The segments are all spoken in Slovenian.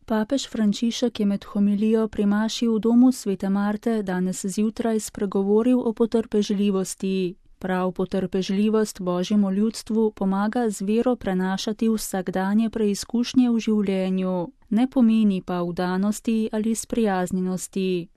Papež Frančišek je med homilijo pri maši v domu svete Marte danes zjutraj spregovoril o potrpežljivosti. Prav potrpežljivost Božjemu ljudstvu pomaga z vero prenašati vsakdanje preizkušnje v življenju, ne pomeni pa vdanosti ali sprijaznjenosti.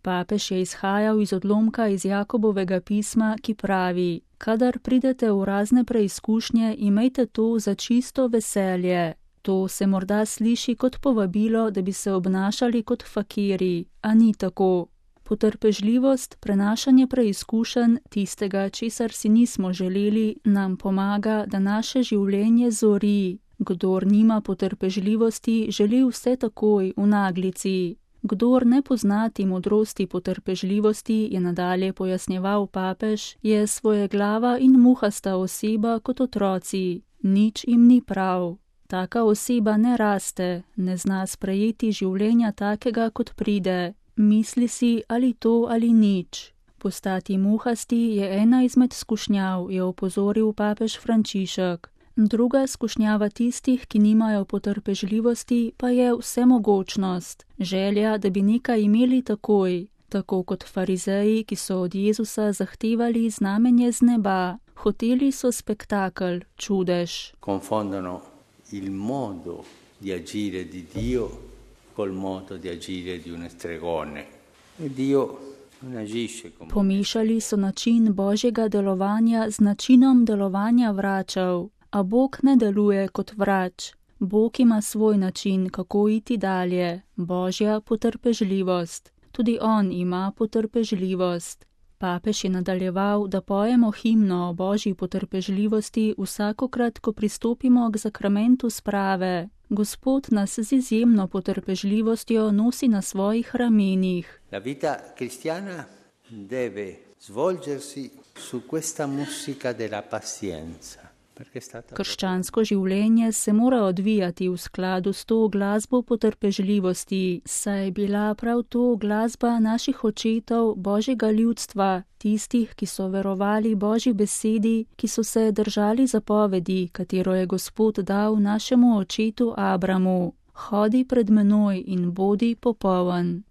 Papež je izhajal iz odlomka iz Jakobovega pisma, ki pravi: kadar pridete v razne preizkušnje, imejte to za čisto veselje. To se morda sliši kot povabilo, da bi se obnašali kot fakirji, a ni tako. Potrpežljivost, prenašanje preizkušenj, tistega, česar si nismo želeli, nam pomaga, da naše življenje zori. Kdor nima potrpežljivosti, želi vse takoj, v naglici. Kdor ne poznati modrosti potrpežljivosti, je nadalje pojasnjeval papež, je svojeglava in muhasta oseba kot otroci. Nič jim ni prav. Taka oseba ne raste, ne zna sprejeti življenja takega, kot pride. Misli si ali to ali nič. Postati muhasti je ena izmed skušnjav, je opozoril papež Frančišek. Druga skušnjava tistih, ki nimajo potrpežljivosti, pa je vsemogočnost, želja, da bi nekaj imeli takoj, tako kot farizeji, ki so od Jezusa zahtevali znamenje z neba. Hoteli so spektakel, čudež. Confondono il modo di agire di Dio col modo di agire di un stregone. E Dio non agisce come... Pomešali so način Božjega delovanja z načinom delovanja vračev. A Bog ne deluje kot vrač. Bog ima svoj način, kako iti dalje, Božja potrpežljivost. Tudi on ima potrpežljivost. Papež je nadaljeval, da pojemo himno o Božji potrpežljivosti vsakokrat, ko pristopimo k zakramentu sprave. Gospod nas z izjemno potrpežljivostjo nosi na svojih ramenih. La vita cristiana deve svolgersi su questa musica della pazienza. Krščansko življenje se mora odvijati v skladu s to glasbo potrpežljivosti, saj je bila prav to glasba naših očetov, Božjega ljudstva, tistih, ki so verovali Božji besedi, ki so se držali zapovedi, katero je Gospod dal našemu očetu Abramu. Hodi pred menoj in bodi popoln.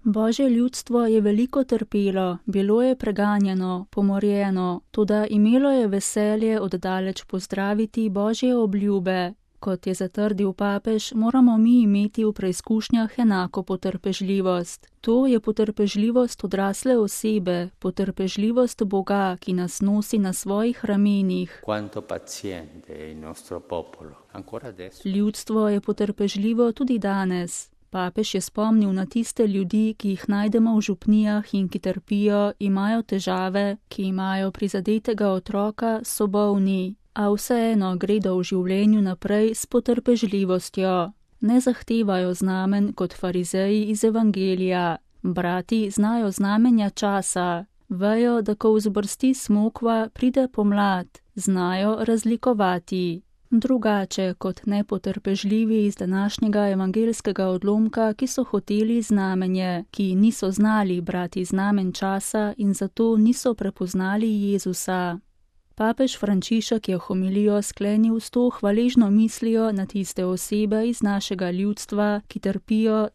Božje ljudstvo je veliko trpelo, bilo je preganjeno, pomorjeno, toda imelo je veselje oddaleč pozdraviti Božje obljube. Kot je zatrdil papež, moramo mi imeti v preizkušnjah enako potrpežljivost. To je potrpežljivost odrasle osebe, potrpežljivost Boga, ki nas nosi na svojih ramenih. Ljudstvo je potrpežljivo tudi danes. Papež je spomnil na tiste ljudi, ki jih najdemo v župnijah in ki trpijo, imajo težave, ki imajo prizadetega otroka, so bolni, a vseeno gredo v življenju naprej s potrpežljivostjo. Ne zahtevajo znamen kot farizeji iz Evangelija. Brati znajo znamenja časa, vejo, da ko vzbrsti smokva, pride pomlad, znajo razlikovati. Drugače kot nepotrpežljivi iz današnjega evangelskega odlomka, ki so hoteli znamenje, ki niso znali brati znamen časa in zato niso prepoznali Jezusa. Papež Frančišek je homilijo sklenil s to hvaležno mislijo na tiste osebe iz našega ljudstva, ki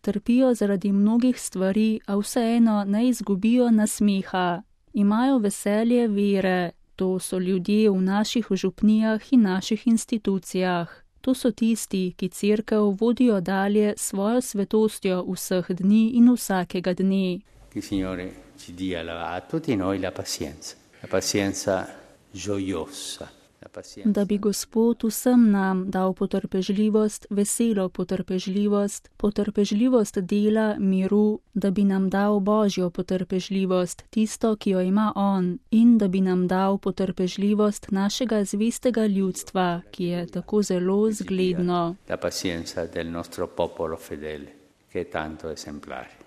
trpijo zaradi mnogih stvari, a vseeno ne izgubijo nasmeha. Imajo veselje vere. To so ljudje v naših župnijah in naših institucijah. To so tisti, ki cerkev vodijo dalje svojo svetostjo vseh dni in vsakega dne. Che il Signore ci dia a tutti noi la pazienza gioiosa. Da bi Gospod vsem nam dal potrpežljivost, veselo potrpežljivost, potrpežljivost dela, miru, da bi nam dal Božjo potrpežljivost, tisto, ki jo ima On, in da bi nam dal potrpežljivost našega zvestega ljudstva, ki je tako zelo zgledno. La pazienza del nostro popolo fedele, che è tanto esemplare.